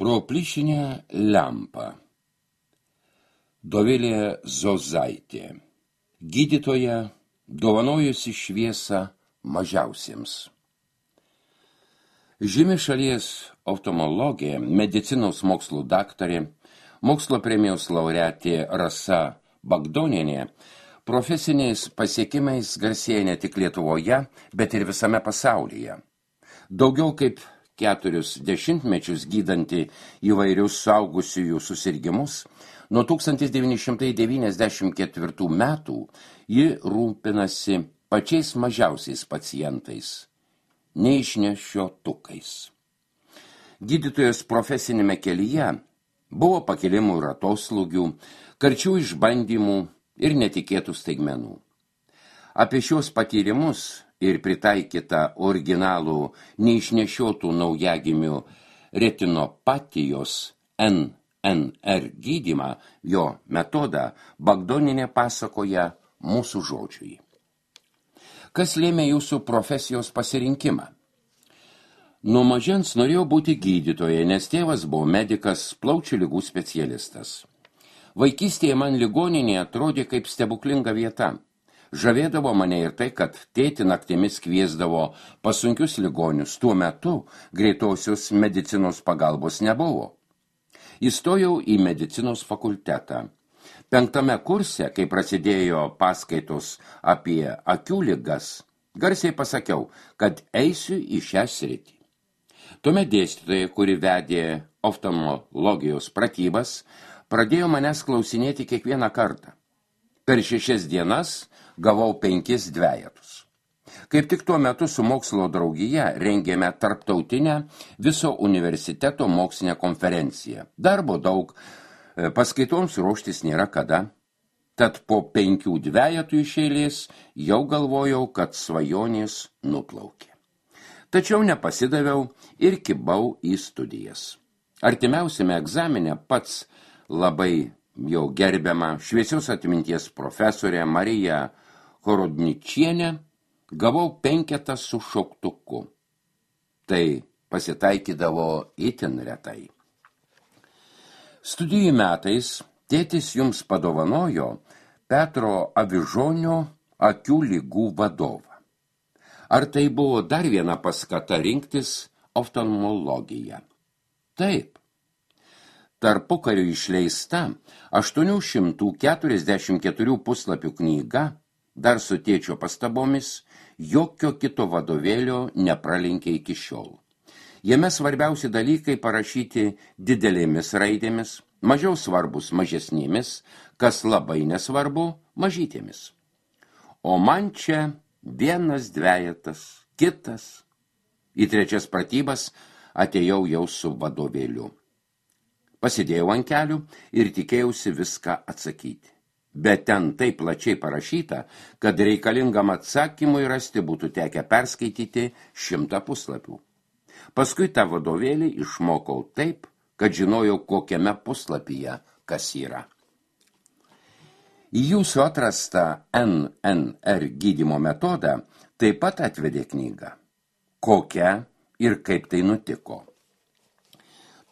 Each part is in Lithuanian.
Pro plyšinę lempą. Dovilė Zozaitė. Gydytoja, dovanojusi šviesą mažiausiems. Žymi šalies oftalmologė, medicinos mokslų daktarė, mokslo premijos laureatė Rasa Bagdonienė profesiniais pasiekimais garsėja ne tik Lietuvoje, bet ir visame pasaulyje. Daugiau kaip 40 mečius gydanti įvairius suaugusiųjų susirgimus, nuo 1994 metų ji rūpinasi pačiais mažiausiais pacientais, neišnešiotukais. Gydytojos profesinėme kelyje buvo pakilimų ir atoslūgių, karčių išbandymų ir netikėtų staigmenų. Apie šios patyrimus ir pritaikytą originalų neišnešiotų naujagimių retinopatijos NNR gydymą, jo metodą, Bagdonienė pasakoja mūsų žodžiui. Kas lėmė jūsų profesijos pasirinkimą? Nuo mažens norėjau būti gydytoja, nes tėvas buvo medikas, plaučių ligų specialistas. Vaikystėje man ligoninė atrodė kaip stebuklinga vieta. Žavėdavo mane ir tai, kad tėti naktimis kviesdavo pas sunkius ligonius. Tuo metu greitosios medicinos pagalbos nebuvo. Įstojau į medicinos fakultetą. 5. kurse, kai prasidėjo paskaitos apie akių ligas, garsiai pasakiau, kad eisiu į šią sritį. Tuomet dėstytoja, kuri vedė oftalmologijos pratybas, pradėjo manęs klausinėti kiekvieną kartą. Per 6 dienas gavau 5 dvejetus. Kaip tik tuo metu su mokslo draugija rengėme tarptautinę viso universiteto mokslinę konferenciją. Darbo daug, paskaitoms ruoštis nėra kada. Tad po 5 dvejetų iš eilės jau galvojau, kad svajonės nuplaukė. Tačiau nepasidaviau ir kibau į studijas. Artimiausiame egzamine pats labai jau gerbiama šviesios atminties profesorė Marija Horodničienė gavau 5 su šauktuku. Tai pasitaikydavo itin retai. Studijų metais tėtis jums padovanojo Petro Avižonio akių ligų vadovą. Ar tai buvo dar viena paskata rinktis oftalmologiją? Taip. Tarpukariu išleista 844 puslapių knyga, dar su tėčio pastabomis, jokio kito vadovėlio nepralenkė iki šiol. Jame svarbiausi dalykai parašyti didelėmis raidėmis, mažiau svarbus mažesnėmis, kas labai nesvarbu mažytėmis. O man čia 1 dvejetas, kitas. Į 3 pratybas atėjau jau su vadovėliu. Pasidėjau ant kelių ir tikėjausi viską atsakyti. Bet ten taip plačiai parašyta, kad reikalingam atsakymui rasti būtų tekę perskaityti 100 puslapių. Paskui tą vadovėlį išmokau taip, kad žinojau, kokiame puslapyje kas yra. Į jūsų atrastą NNR gydymo metodą taip pat atvedė knyga. Kokia ir kaip tai nutiko?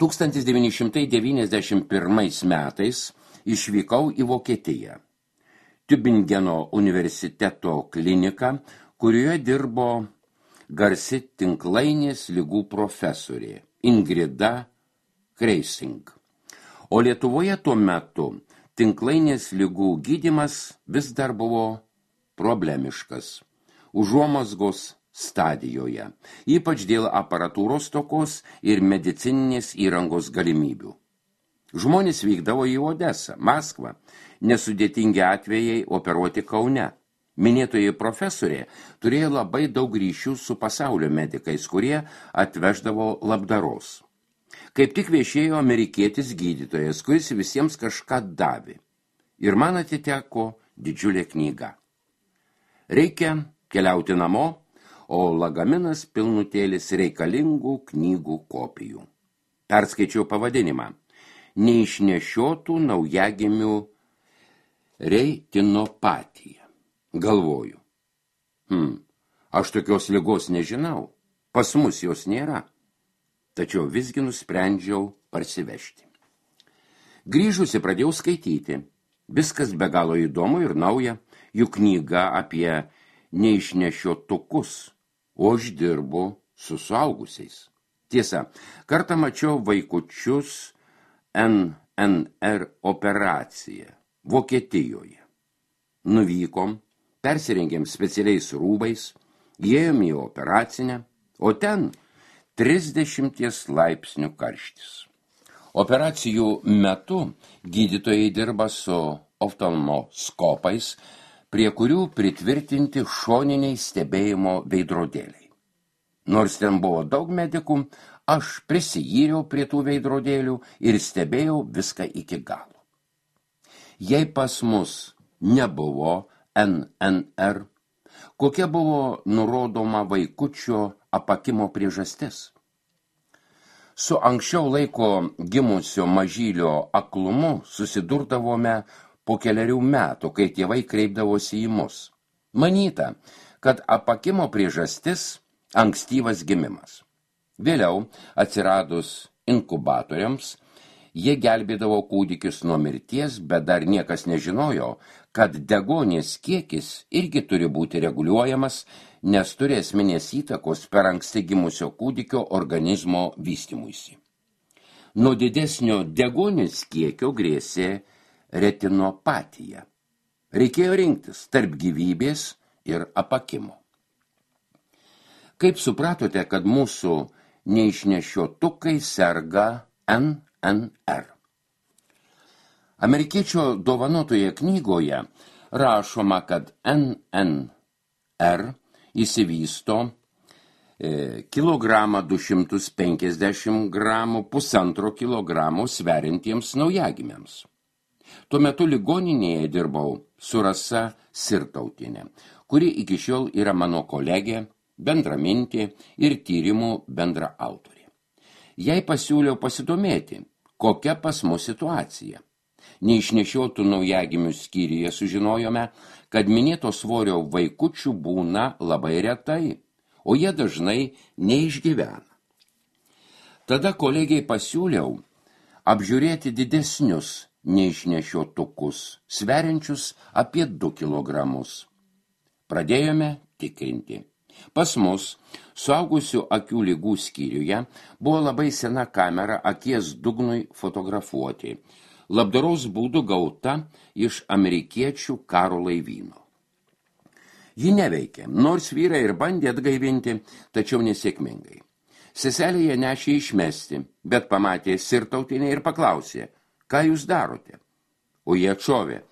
1991 metais išvykau į Vokietiją. Tübingeno universiteto kliniką, kurioje dirbo garsi tinklainės ligų profesorė Ingrida Kreising. O Lietuvoje tuo metu tinklainės ligų gydymas vis dar buvo problemiškas, užuomazgos stadijoje, ypač dėl aparatūros stokos ir medicininės įrangos galimybių. Žmonės vykdavo į Odesą, Maskvą, nesudėtingi atvejai operuoti Kaune. Minėtoji profesorė turėjo labai daug ryšių su pasaulio medikais, kurie atveždavo labdaros. Kaip tik viešėjo amerikietis gydytojas, kuris visiems kažką davė. Ir man atiteko didžiulė knyga. Reikia keliauti namo, o lagaminas pilnutėlis reikalingų knygų kopijų. Perskaičiau pavadinimą. Neišnešiotų naujagimių retinopatija. Galvoju. Aš tokios ligos nežinau. Pas mus jos nėra. tačiau visgi nusprendžiau parsivežti. Grįžusi pradėjau skaityti. Viskas be galo įdomu ir nauja, juk knyga apie neišnešiotukus, o aš dirbu su suaugusiais. Tiesa, kartą mačiau vaikučius NNR operaciją Vokietijoje. Nuvykom, persirengėm specialiais rūbais, įėjom į operacinę, o ten 30 laipsnių karštis. Operacijų metu gydytojai dirba su oftalmoskopais, prie kurių pritvirtinti šoniniai stebėjimo veidrodėliai. Nors ten buvo daug medikų, aš prisijyriau prie tų veidrodėlių ir stebėjau viską iki galo. Jei pas mus nebuvo NNR, kokia buvo nurodoma vaikučio apakimo priežastis? Su anksčiau laiko gimusio mažylio aklumu susidurdavome po 4 metų, kai tėvai kreipdavosi į mus. Manyta, kad apakimo priežastis ankstyvas gimimas. Vėliau, atsiradus inkubatoriams, jie gelbėdavo kūdikius nuo mirties, bet dar niekas nežinojo, kad deguonies kiekis irgi turi būti reguliuojamas, nes turi esminės įtakos per anksti gimusio kūdikio organizmo vystymuisi. Nuo didesnio deguonies kiekio grėsė retinopatija. Reikėjo rinktis tarp gyvybės ir apakimo. Kaip supratote, kad mūsų neišnešiotukai serga NNR? Amerikiečio dovanotoje knygoje rašoma, kad NNR įsivysto kilogramą 250 gramų, 1,5 kilogramo sveriantiems naujagimiams. Tuo metu ligoninėje dirbau su Rasa Sirtautienė, kuri iki šiol yra mano kolegė, bendramintė ir tyrimų bendra autorė. Jai pasiūliau pasidomėti, kokia pas mus situacija. Neišnešiotų naujagimių skyriuje sužinojome, kad minėto svorio vaikučių būna labai retai, o jie dažnai neišgyvena. Tada kolegiai pasiūliau apžiūrėti didesnius neišnešiotukus, sveriančius apie 2 kilogramus. Pradėjome tikrinti. Pas mus, suaugusių akių ligų skyriuje, buvo labai sena kamera akies dugnui fotografuoti, labdaros būdu gauta iš amerikiečių karo laivyno. Ji neveikė, nors vyrai ir bandė atgaivinti, tačiau nesėkmingai. Seselė ją nešė išmesti, bet pamatė Sirtautienę ir paklausė, ką jūs darote? O jie atšovė,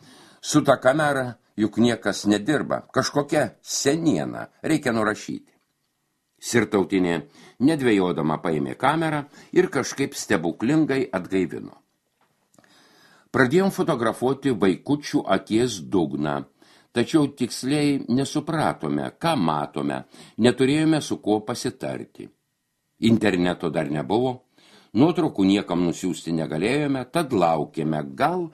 su ta kamera juk niekas nedirba, kažkokia seniena, reikia nurašyti. Sirtautienė nedvejodama paėmė kamerą ir kažkaip stebuklingai atgaivino. Pradėjom fotografuoti vaikučių akies dugną, tačiau tiksliai nesupratome, ką matome, neturėjome su kuo pasitarti. Interneto dar nebuvo, nuotraukų niekam nusiųsti negalėjome, tad laukėme gal,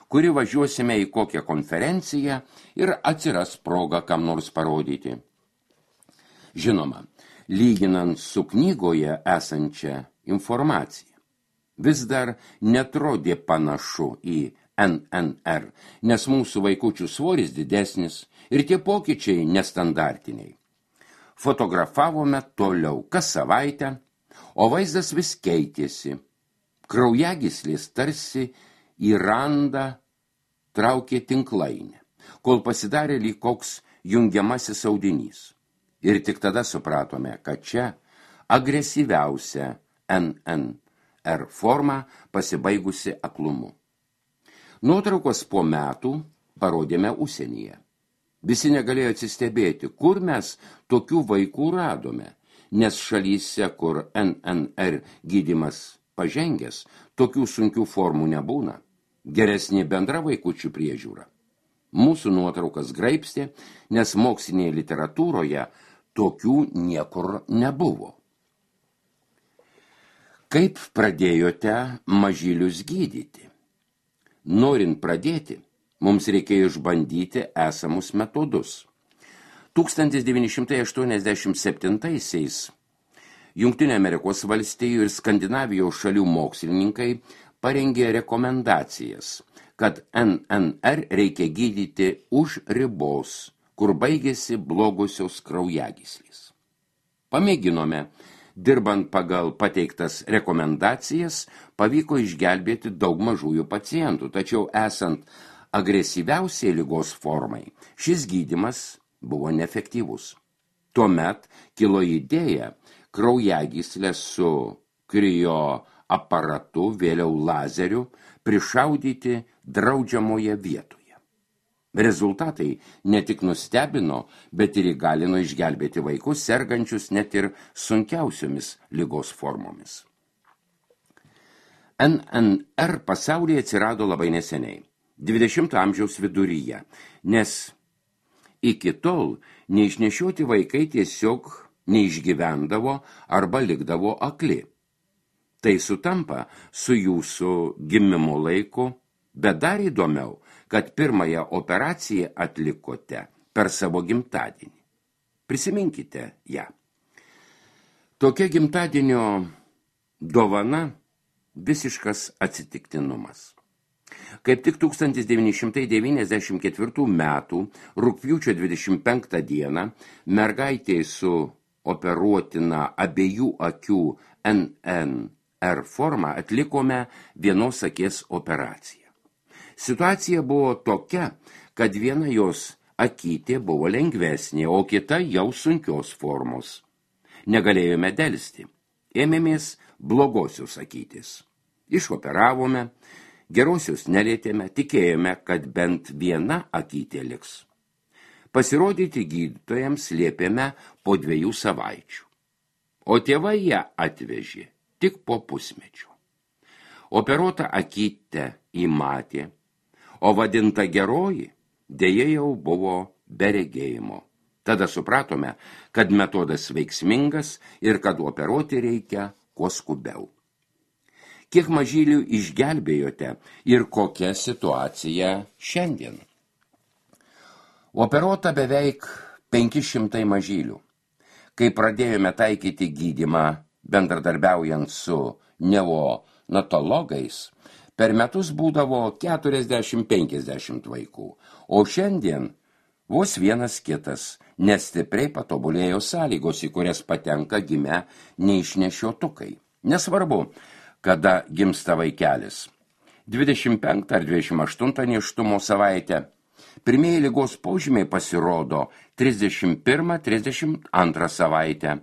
kuri važiuosime į kokią konferenciją ir atsiras progą kam nors parodyti. Žinoma, lyginant su knygoje esančia informacija, vis dar netrodė panašu į NNR, nes mūsų vaikučių svoris didesnis ir tie pokyčiai nestandartiniai. Fotografavome toliau kas savaitę, o vaizdas vis keitėsi. Kraujagyslės tarsi į randą traukė tinklainę, kol pasidarė lyg koks jungiamasis audinys. Ir tik tada supratome, kad čia agresyviausia NNR forma pasibaigusi aklumu. Nuotraukos po metų parodėme užsienyje. Visi negalėjo atsistebėti, kur mes tokių vaikų radome, nes šalyse, kur NNR gydymas pažengęs, tokių sunkių formų nebūna. Geresnė bendra vaikučių priežiūra. Mūsų nuotraukas graibstė, nes mokslinėje literatūroje tokių niekur nebuvo. Kaip pradėjote mažylius gydyti? Norint pradėti, mums reikėjo išbandyti esamus metodus. 1987-aisiais Jungtinių Amerikos valstijų ir Skandinavijos šalių mokslininkai parengė rekomendacijas, kad NNR reikia gydyti už ribos, kur baigėsi blogosios kraujagyslės. Pamėginome, dirbant pagal pateiktas rekomendacijas, pavyko išgelbėti daug mažųjų pacientų, tačiau esant agresyviausiai ligos formai, šis gydymas buvo neefektyvus. Tuomet kilo idėja kraujagyslės su krioaparatu, vėliau lazeriu, prišaudyti draudžiamoje vietoje. Rezultatai ne tik nustebino, bet ir įgalino išgelbėti vaikus, sergančius net ir sunkiausiomis ligos formomis. NNR pasaulyje atsirado labai neseniai, 20 amžiaus viduryje, nes iki tol neišnešioti vaikai tiesiog neišgyvendavo arba likdavo akli. Tai sutampa su jūsų gimimo laiku, bet dar įdomiau, kad pirmąją operaciją atlikote per savo gimtadienį. Prisiminkite ją. Tokia gimtadienio dovana visiškas atsitiktinumas. Kaip tik 1994 metų rugpjūčio 25 dieną mergaitė su operuotina abiejų akių NNR forma atlikome vienos akies operaciją. Situacija buvo tokia, kad viena jos akytė buvo lengvesnė, o kita jau sunkios formos. Negalėjome delsti. Ėmėmės blogosios akytės. Išoperavome, gerosios nelietėme, tikėjome, kad bent viena akytė liks. Pasirodyti gydytojams liepėme po 2 savaičių. O tėvai ją atvežė tik po pusmečio. Operuota akytę įmatė, o vadinta geroji dėja jau buvo be regėjimo. Tada supratome, kad metodas veiksmingas ir kad operuoti reikia kuo skubiau. Kiek mažylių išgelbėjote ir kokia situacija šiandien? Operuota beveik 500 mažylių. Kai pradėjome taikyti gydymą bendradarbiaujant su neonatologais, per metus būdavo 40-50 vaikų, o šiandien vos vienas kitas, nes stipriai patobulėjo sąlygos, į kurias patenka gimę neišnešiotukai. Nesvarbu, kada gimsta vaikelis. 25 ar 28 nėštumo savaitę. Pirmieji ligos požymiai pasirodo 31-32 savaitę,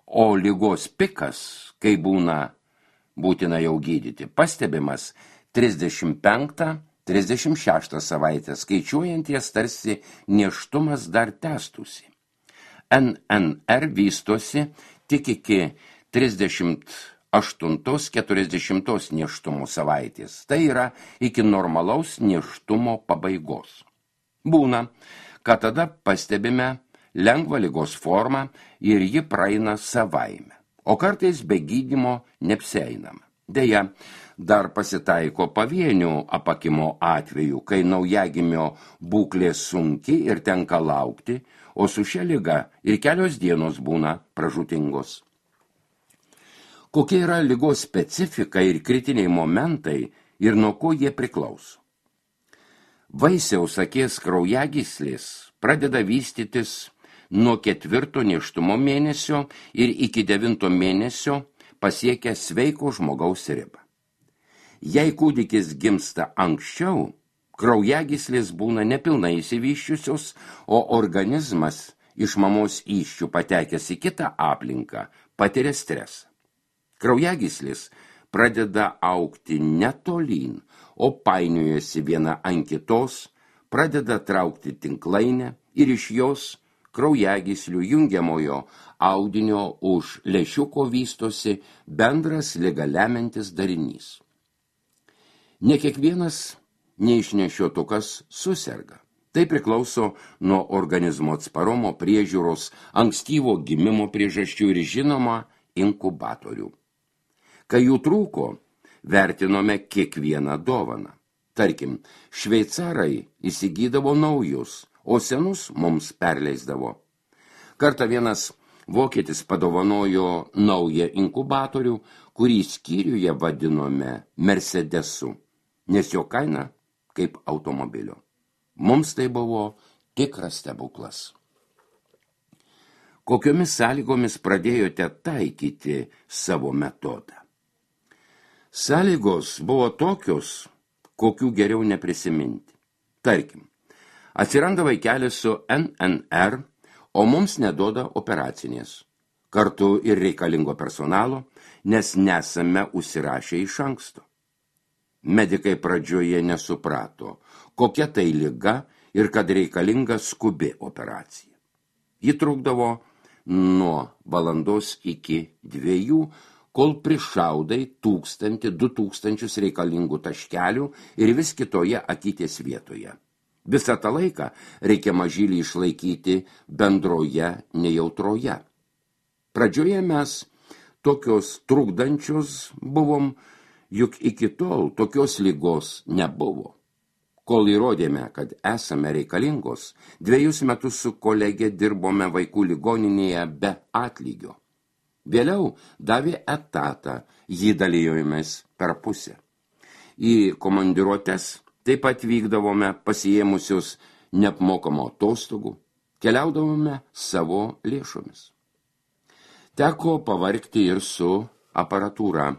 o ligos pikas, kai būtina jau gydyti, pastebimas 35-36 savaitę, skaičiuojant jas tarsi nėštumas dar tęstusi. NNR vystosi tik iki 38-40 nėštumo savaitės, tai yra iki normalaus nėštumo pabaigos. Būna, kad tada pastebime lengvą ligos formą ir ji praeina savaime, o kartais be gydymo neapsieinama. Deja, dar pasitaiko pavienių apakimo atvejų, kai naujagimio būklė sunki ir tenka laukti, o su šia liga ir kelios dienos būna pražūtingos. Kokia yra ligos specifika ir kritiniai momentai ir nuo ko jie priklauso? Vaisiaus akies kraujagyslės pradeda vystytis nuo 4 nėštumo mėnesio ir iki 9 mėnesio pasiekia sveiko žmogaus ribą. Jei kūdikis gimsta anksčiau, kraujagyslės būna nepilnai išsivysčiusios, o organizmas iš mamos įsčių patekęs į kitą aplinką patiria stresą. Kraujagyslės pradeda augti ne tolyn, o painiojasi viena ant kitos, pradeda traukti tinklainę ir iš jos kraujagyslių jungiamojo audinio už lęšiuko vystosi bendras ligą lemiantis darinys. Ne kiekvienas neišnešiotukas suserga. Tai priklauso nuo organizmo atsparumo, priežiūros, ankstyvo gimimo priežasčių ir žinoma inkubatorių. Kai jų trūko, vertinome kiekvieną dovaną. Tarkim, šveicarai įsigydavo naujus, o senus mums perleisdavo. Kartą vienas vokietis padovanojo naują inkubatorių, kurį skyriuje vadinome Mercedesu, nes jo kaina kaip automobilio. Mums tai buvo tikras stebuklas. Kokiomis sąlygomis pradėjote taikyti savo metodą? Sąlygos buvo tokios, kokių geriau neprisiminti. Tarkim, atsiranda vaikelis su NNR, o mums neduoda operacinės, kartu ir reikalingo personalo, nes nesame užsirašę iš anksto. Medikai pradžioje nesuprato, kokia tai liga ir kad reikalinga skubi operacija. Ji trukdavo nuo valandos iki 2, kol prišaudai 1000–2000 reikalingų taškelių ir vis kitoje akytės vietoje. Visą tą laiką reikia mažylį išlaikyti bendroje nejautroje. Pradžioje mes tokios trukdančios buvom, juk iki tol tokios ligos nebuvo. Kol įrodėme, kad esame reikalingos, 2 metus su kolegė dirbome vaikų ligoninėje be atlygio. Vėliau davė etatą, jį dalijomės per pusę. Į komandiruotes taip pat vykdavome pasiėmusius neapmokamo atostogų, keliaudavome savo lėšomis. Teko pavargti ir su aparatūra.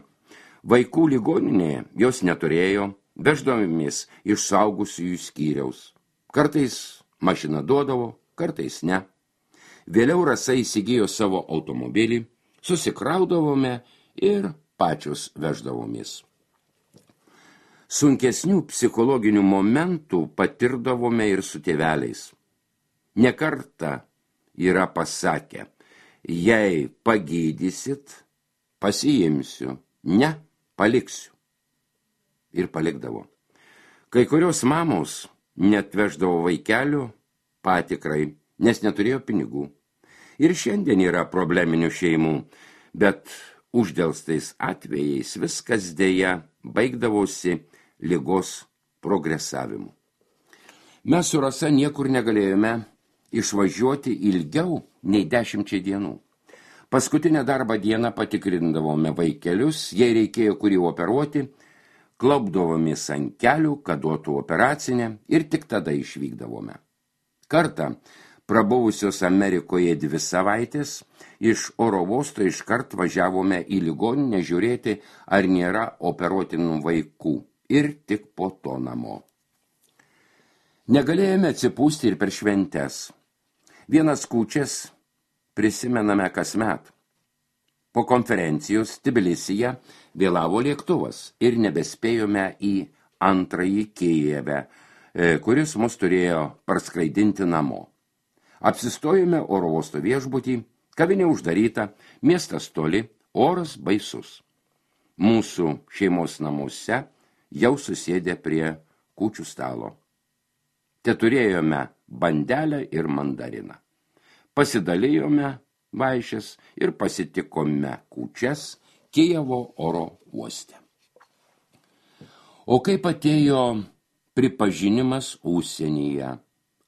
Vaikų ligoninėje jos neturėjo, veždavomės iš suaugusiųjų skyriaus. Kartais mašina duodavo, kartais ne. Vėliau Rasa įsigijo savo automobilį, susikraudavome ir pačios veždavomės. Sunkesnių psichologinių momentų patirdavome ir su tėveliais. Ne kartą yra pasakę, jei pagydysit, pasiimsiu, ne, paliksiu. Ir palikdavo. Kai kurios mamos net veždavo vaikelių patikrai, nes neturėjo pinigų. Ir šiandien yra probleminių šeimų, bet uždelstais atvejais viskas dėja baigdavosi ligos progresavimu. Mes su Rasa niekur negalėjome išvažiuoti ilgiau nei 10 dienų. Paskutinę darbo dieną patikrindavome vaikelius, jei reikėjo kurį operuoti, klaupdavomės ant kelių, kad duotų operacinę ir tik tada išvykdavome. Kartą, prabuvusios Amerikoje 2 savaitės, iš oro uosto iškart važiavome į ligoninę žiūrėti, ar nėra operuotinų vaikų ir tik po to namo. Negalėjome atsipūsti ir per šventes. Vienas kūčias prisimename kasmet. Po konferencijos Tbilisyje vėlavo lėktuvas ir nebespėjome į antrąjį Kijeve, kuris mus turėjo parskraidinti namo. Apsistojome oro uosto viešbutį, kavinė uždaryta, miestas toli, oras baisus. Mūsų šeimos namuose jau susėdė prie kūčių stalo. Te turėjome bandelę ir mandariną. Pasidalijome vaišes ir pasitikome kūčias Kijevo oro uoste. O kaip atėjo pripažinimas užsienyje,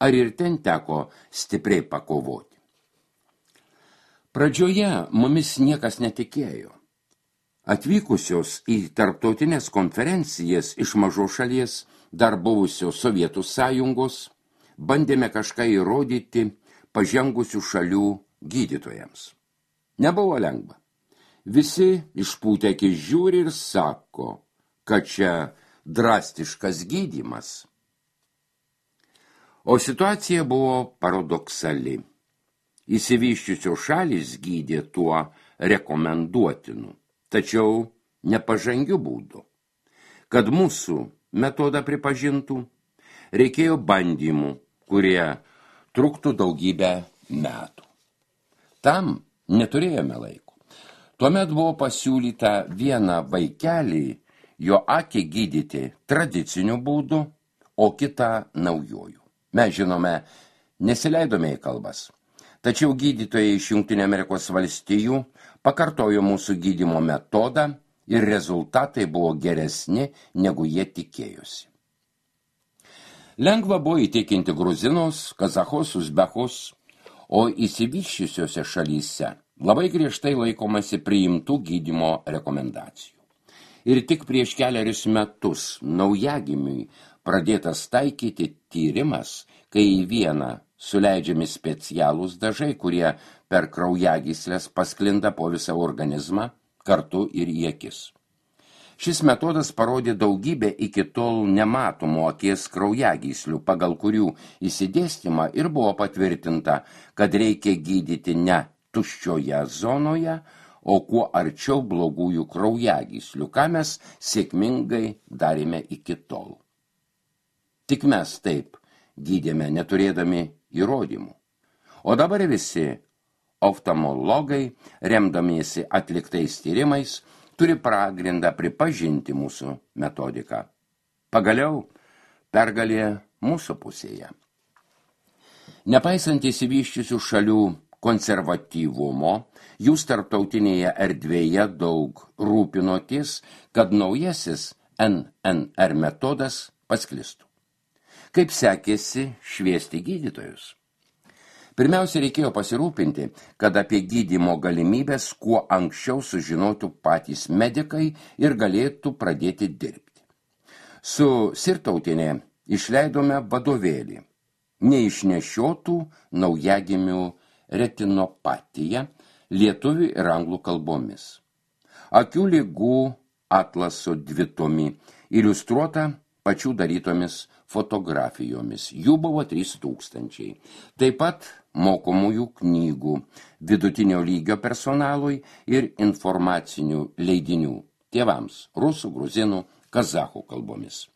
ar ir ten teko stipriai pakovoti? Pradžioje mumis niekas netikėjo. Atvykusios į tarptautinės konferencijas iš mažos šalies, dar buvusios Sovietų sąjungos, bandėme kažką įrodyti pažengusių šalių gydytojams. Nebuvo lengva. Visi išpūtę akis žiūri ir sako, kad čia drastiškas gydymas. O situacija buvo paradoksali. Išsivysčiusios šalys gydė tuo rekomenduotinu, tačiau nepažangiu būdu. Kad mūsų metodą pripažintų, reikėjo bandymų, kurie truktų daugybę metų. Tam neturėjome laiko. Tuomet buvo pasiūlyta vieną vaikelį, jo akį gydyti tradiciniu būdu, o kitą naujoju. Mes žinome, nesileidome į kalbas. Tačiau gydytojai iš Jungtinių Amerikos valstijų pakartojo mūsų gydymo metodą ir rezultatai buvo geresni, negu jie tikėjosi. Lengva buvo įtikinti gruzinus, kazachus, uzbekus, o išsivysčiusiose šalyse labai griežtai laikomasi priimtų gydymo rekomendacijų. Ir tik prieš kelerius metus naujagimiui pradėtas taikyti tyrimas, kai į vieną suleidžiami specialūs dažai, kurie per kraujagyslės pasklinda po visą organizmą, kartu ir į akis. Šis metodas parodė daugybę iki tol nematomų akies kraujagyslių, pagal kurių įsidėstymą ir buvo patvirtinta, kad reikia gydyti ne tuščioje zonoje, o kuo arčiau blogųjų kraujagyslių, ką mes sėkmingai darėme iki tol. Tik mes taip gydėme, neturėdami įrodymų. O dabar visi oftalmologai, remdamiesi atliktais tyrimais, turi pagrindą pripažinti mūsų metodiką. Pagaliau, pergalė mūsų pusėje. Nepaisant išsivysčiusių šalių konservatyvumo, jūs tarptautinėje erdvėje daug rūpinoties, kad naujasis NNR metodas pasklistų. Kaip sekėsi šviesti gydytojus? Pirmiausia, reikėjo pasirūpinti, kad apie gydymo galimybės kuo anksčiau sužinotų patys medikai ir galėtų pradėti dirbti. Su Sirtautinė išleidome vadovėlį neišnešiotų naujagimių retinopatija lietuvių ir anglų kalbomis. Akių ligų atlaso dvitomi iliustruota pačių darytomis fotografijomis. Jų buvo 3000. Taip pat mokomųjų knygų, vidutinio lygio personalui ir informacinių leidinių tėvams rusų, gruzinų, kazachų kalbomis.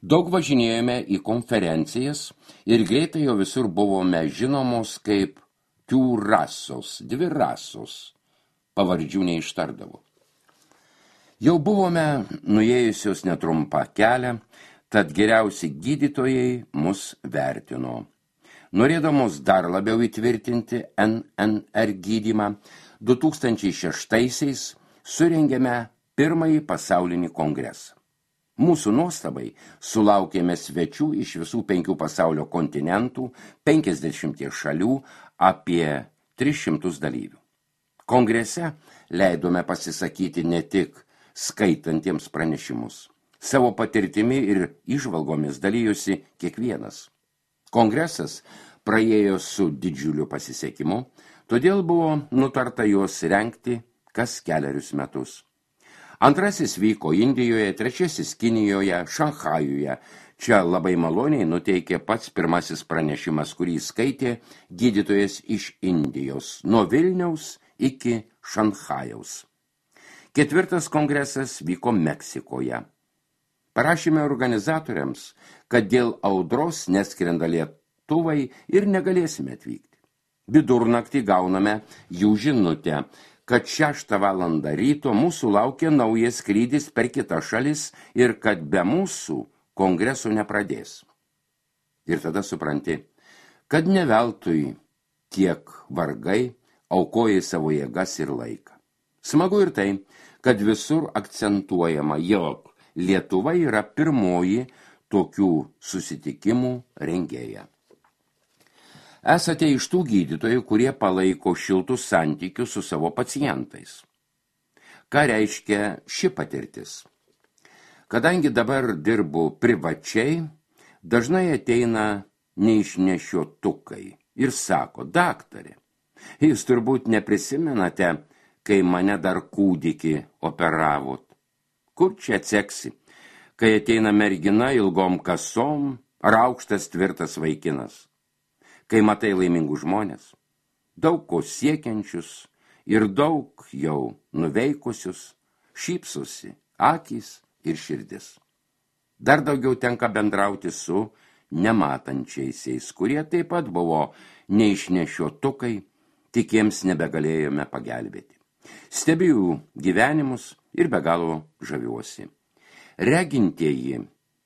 Daug važinėjome į konferencijas ir greitai jau visur buvome žinomos kaip rasos, 2 rasos, pavardžių neištardavo. Jau buvome nuėjusios netrumpą kelią, tad geriausi gydytojai mus vertino. Norėdamos dar labiau įtvirtinti NNR gydymą, 2006-aisiais surengėme pirmąjį pasaulinį kongresą. Mūsų nuostabai sulaukėme svečių iš visų 5 pasaulio kontinentų, 50 šalių, apie 300 dalyvių. Kongrese leidome pasisakyti ne tik skaitantiems pranešimus. Savo patirtimi ir įžvalgomis dalyjosi kiekvienas. Kongresas praėjo su didžiuliu pasisekimu, todėl buvo nutarta juos rengti kas 4 metus. Antrasis vyko Indijoje, 3 Kinijoje, Šanchajuje. Čia labai maloniai nuteikė pats pirmasis pranešimas, kurį skaitė gydytojas iš Indijos, nuo Vilniaus iki Šanchajaus. 4 kongresas vyko Meksikoje. Parašėme organizatoriams, kad dėl audros neskrenda lėktuvai ir negalėsime atvykti. Vidurnaktį gauname jų žinutę, kad 6 valandą ryto mūsų laukia naujas skrydis per kitas šalis ir kad be mūsų kongreso nepradės. Ir tada supranti, kad ne veltui tiek vargai aukojai savo jėgas ir laiką. Smagu ir tai, kad visur akcentuojama, jog Lietuva yra pirmoji tokių susitikimų rengėja. Esate iš tų gydytojų, kurie palaiko šiltus santykius su savo pacientais. Ką reiškia ši patirtis? Kadangi dabar dirbu privačiai, dažnai ateina neišnešiotukai ir sako, daktarė, jūs turbūt neprisimenate, kai mane dar kūdikį operavot. Kur čia atseksi, kai ateina mergina ilgom kasom ar aukštas tvirtas vaikinas? Kai matai laimingų žmonės, daug ko siekiančius ir daug jau nuveikusius, šypsosi akys ir širdis. Dar daugiau tenka bendrauti su nematančiaisiais, kurie taip pat buvo neišnešiotukai, tik jiems nebegalėjome pagelbėti. Stebiu gyvenimus ir be galo žaviuosi. Regintieji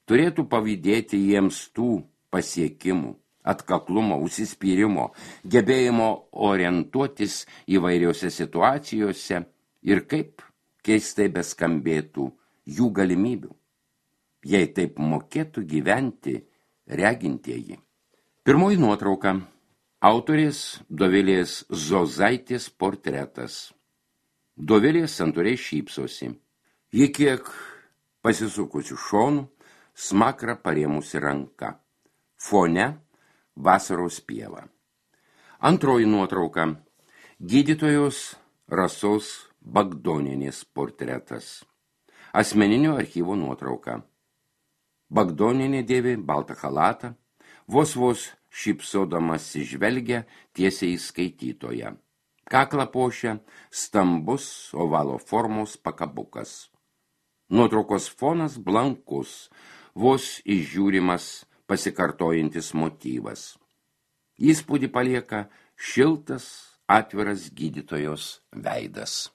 turėtų pavydėti jiems tų pasiekimų, atkaklumo, užsispyrimo, gebėjimo orientuotis įvairiose situacijose ir kaip keistai beskambėtų jų galimybių, jei taip mokėtų gyventi regintieji. Pirmoji nuotrauka. Autorės Dovilės Zozaitės portretas. Dovilė santūriai šypsosi. Ji kiek pasisukusi šonu, smakrą parėmusi ranka. Fone vasaros pieva. Antroji nuotrauka. Gydytojos Rasos Bagdonienės portretas. Asmeninio archyvo nuotrauka. Bagdonienė dėvi baltą chalatą, vos šypsodamas žvelgia tiesiai į skaitytoją. Kaklą puošia stambus ovalo formos pakabukas. Nuotraukos fonas blankus, vos išžiūrimas pasikartojantis motyvas. Įspūdį palieka šiltas, atviras gydytojos veidas.